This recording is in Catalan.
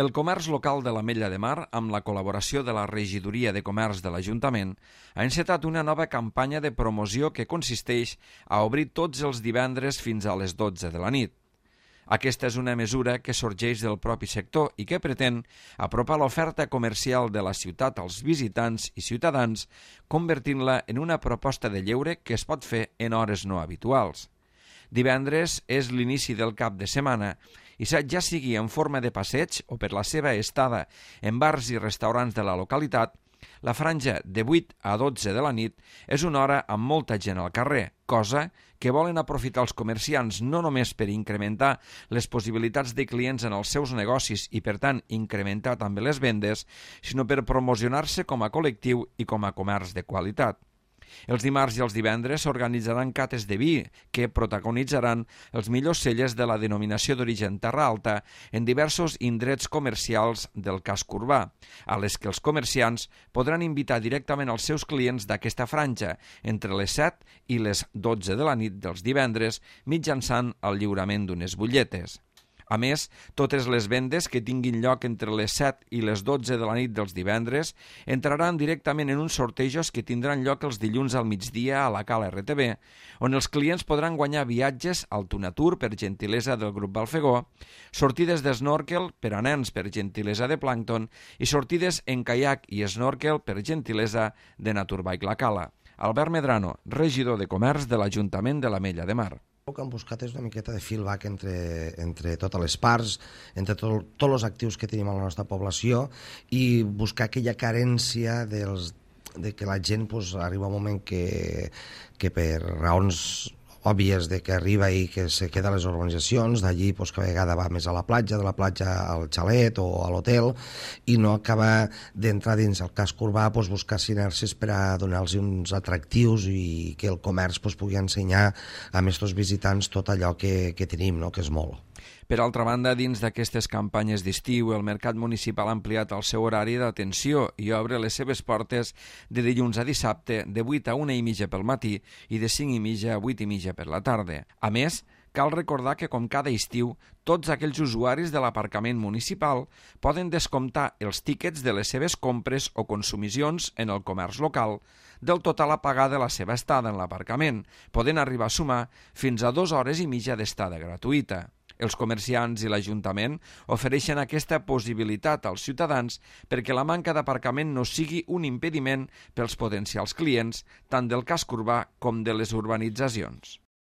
El comerç local de l'Ametlla de Mar, amb la col·laboració de la Regidoria de Comerç de l'Ajuntament, ha encetat una nova campanya de promoció que consisteix a obrir tots els divendres fins a les 12 de la nit. Aquesta és una mesura que sorgeix del propi sector i que pretén apropar l'oferta comercial de la ciutat als visitants i ciutadans, convertint-la en una proposta de lleure que es pot fer en hores no habituals. Divendres és l'inici del cap de setmana i ja sigui en forma de passeig o per la seva estada en bars i restaurants de la localitat, la franja de 8 a 12 de la nit és una hora amb molta gent al carrer, cosa que volen aprofitar els comerciants no només per incrementar les possibilitats de clients en els seus negocis i, per tant, incrementar també les vendes, sinó per promocionar-se com a col·lectiu i com a comerç de qualitat. Els dimarts i els divendres s'organitzaran cates de vi que protagonitzaran els millors cellers de la denominació d'origen Terra Alta en diversos indrets comercials del casc urbà, a les que els comerciants podran invitar directament els seus clients d'aquesta franja entre les 7 i les 12 de la nit dels divendres mitjançant el lliurament d'unes butlletes. A més, totes les vendes que tinguin lloc entre les 7 i les 12 de la nit dels divendres entraran directament en uns sortejos que tindran lloc els dilluns al migdia a la Cala RTV, on els clients podran guanyar viatges al Tunatur per gentilesa del grup Balfegó, sortides d'snorkel per a nens per gentilesa de Plàncton i sortides en caiac i snorkel per gentilesa de Naturbike La Cala. Albert Medrano, regidor de Comerç de l'Ajuntament de l'Ametlla de Mar. El que hem buscat és una miqueta de feedback entre totes les parts, entre tots els actius que tenim a la nostra població i buscar aquella carència de que la gent arriba un moment que per raons òbvies de que arriba i que se queda a les urbanitzacions, d'allí cada vegada va més a la platja, de la platja al xalet o a l'hotel, i no acaba d'entrar dins el casc urbà, buscar sinergies per a donar-los uns atractius i que el comerç pugui ensenyar a aquests visitants tot allò que tenim, no? Que és molt. Per altra banda, dins d'aquestes campanyes d'estiu, el Mercat Municipal ha ampliat el seu horari d'atenció i obre les seves portes de dilluns a dissabte de 8 a 1:30 pel matí i de 5:30 a 8:30 per la tarda. A més, cal recordar que, com cada estiu, tots aquells usuaris de l'aparcament municipal poden descomptar els tíquets de les seves compres o consumicions en el comerç local del total a pagar de la seva estada en l'aparcament, podent arribar a sumar fins a 2 hores i mitja d'estada gratuïta. Els comerciants i l'Ajuntament ofereixen aquesta possibilitat als ciutadans perquè la manca d'aparcament no sigui un impediment pels potencials clients tant del casc urbà com de les urbanitzacions.